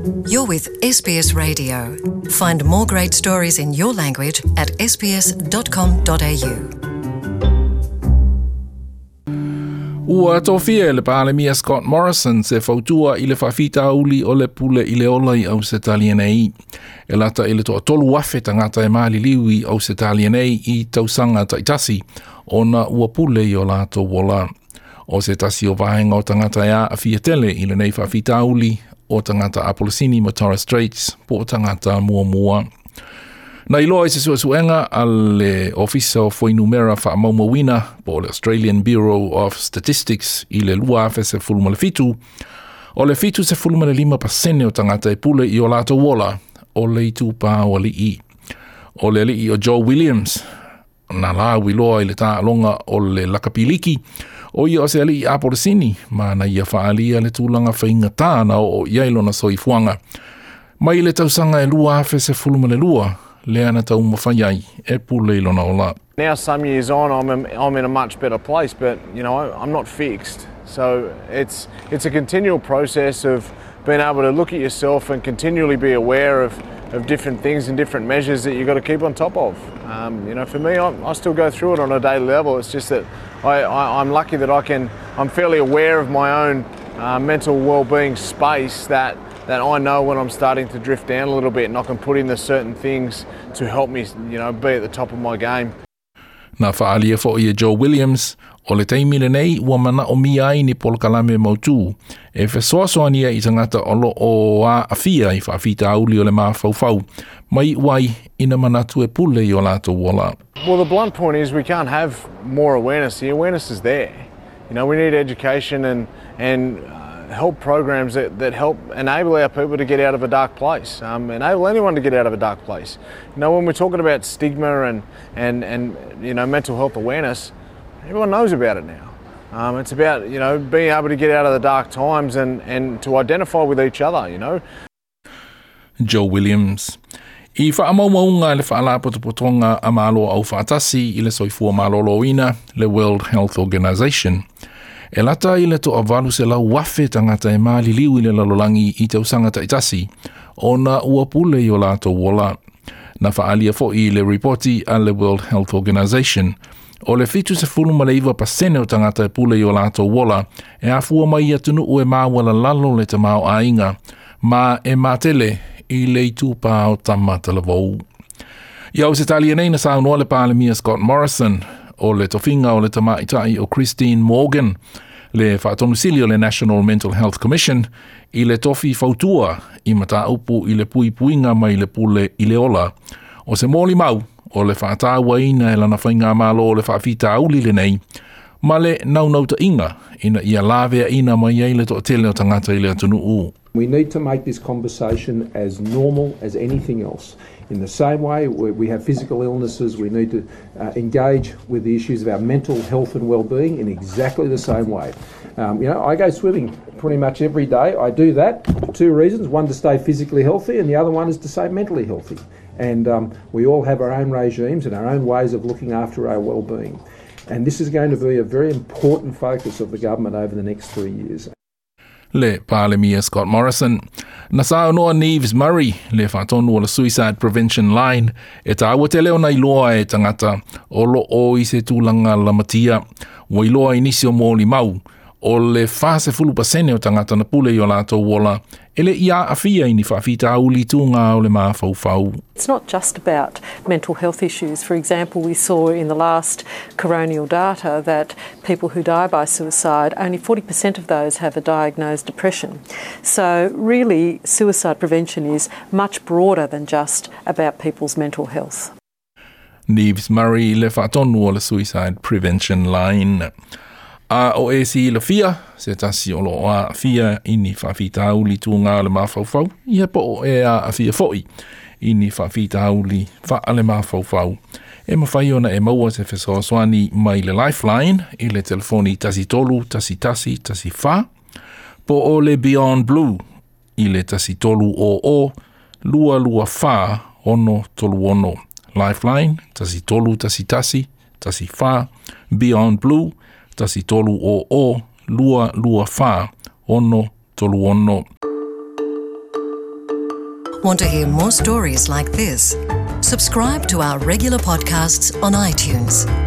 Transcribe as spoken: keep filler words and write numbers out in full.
You're with S B S Radio. Find more great stories in your language at S B S dot com dot A U. Ua tofia e le Palemia Scott Morrison se fautua i le faafitauli o le pule i le ola i Ausetalia nei. E lata i le toatolu afe tagata e maliliu i Ausetalia nei i tausaga taitasi ona ua pule i o latou ola. O se tasi o vaega o tagata e aafia tele i lenei faafitauli o tagata Apolisini ma Torres Straits po o tagata muamua. Na iloa i se suesuega a le Ofisa o Fuainumera Faamaumauina po o le Australian Bureau of Statistics i le lua afe sefulu ma le fitu, o le fitu sefulu ma le lima pasene o tagata e pule i o latou ola o le itupa o alii. O le alii o Joe Williams, na lauiloa i le taaloga o le lakapiliki, o ia o se alii Apolisini, ma na ia faalia le tulaga faigata na oo i ai lona soifuaga. Mai le tausaga e lua afe sefulu ma le lua, lea na taumafai ai e pule i lona ola. Now, some years on, I'm in, I'm in a much better place, but you know, I'm not fixed. So it's it's a continual process of being able to look at yourself and continually be aware of, of different things and different measures that you've got to keep on top of. Um, you know, for me, I, I still go through it on a daily level. It's just that I, I, I'm lucky that I can, I'm fairly aware of my own uh, mental well-being space, that that I know when I'm starting to drift down a little bit and I can put in the certain things to help me, you know, be at the top of my game. Na faalia fo'i e Joe Williams, o le taimi lenei ua manaomia ai ni polokalame mautū e fesoasoani ai i tagata o loo aafia i faafitauli o le mafaufau mai uai ina manatu e pule i o latou ola. Well, the blunt point is we can't have more awareness. The awareness is there. You know, we need education and and uh, help programs that, that help enable our people to get out of a dark place, um, enable anyone to get out of a dark place. You know, when we're talking about stigma and, and, and you know, mental health awareness, everyone knows about it now. Um, it's about, you know, being able to get out of the dark times and, and to identify with each other, you know. Joe Williams. I faamaumauga le Faalapotopotoga a Malo Aufaatasi i le Soifua Maloloina, le World Health Organization. E lata i le toavalu selau afe tagata e maliliu i le lalolagi i tausaga taitasi, ona ua pule i o latou ola. Na faalia fo'i i le ripoti a le World Health Organization, o le fitu sefulu ma le iva pasene o tagata e pule i o latou ola, e afua mai i atunuu e maualalalo le tamaoaiga, ma e matele i le itupa o tama talavou. I Ausetalia nei na saunoa le Palemia Scott Morrison o le tofiga o le tamaitai o Christine Morgan, le faatonusili o le National Mental Health Commission, i le tofi fautua i mataupu i le puipuiga mai le pule i le ola. O se molimau o le faatauaina e lana faigamalo o le faafitauli lenei, ma le naunautaiga ina ia laveaina mai ai le toatele o tagata i le atunuu. We need to make this conversation as normal as anything else. In the same way we we have physical illnesses, we need to uh, engage with the issues of our mental health and well-being in exactly the same way. Um, you know, I go swimming pretty much every day. I do that for two reasons. One, to stay physically healthy, and the other one is to stay mentally healthy. And um, we all have our own regimes and our own ways of looking after our well-being. And this is going to be a very important focus of the government over the next three years. Le Palemia Scott Morrison. Na saunoa Neves Murray, le faatonu o le Suicide Prevention Line, e taua tele ona iloa e tagata o loo i se tulaga lamatia. Ua iloa i nisi o molimau, o le fa sefulu pasene o tagata na pule i o latou ola, e le i aafia i ni faafitauli tuga o le mafaufau. It's not just about mental health issues. For example, we saw in the last coronial data that people who die by suicide, only forty percent of those have a diagnosed depression. So, really, suicide prevention is much broader than just about people's mental health. Neves Murray, le faatonu o le Suicide Prevention Line. A o e silafia, se tasi o loo aafia i ni faafitauli tuga o le mafaufau, ia po o e aafia fo'i i ni faafitauli faale mafaufau. E mafai ona e maua se fesoasoani mai le Lifeline i le telefoni tasi tolu tasi tasi tasi fa, po o le Beyond Blue i le tasi tolu o o lua lua fa ono tolu ono. Lifeline, tasi tolu tasi tasi tasi fa, Beyond Blue, tasi tolu o o lua lua fa ono tolu ono. Want to hear more stories like this? Subscribe to our regular podcasts on iTunes.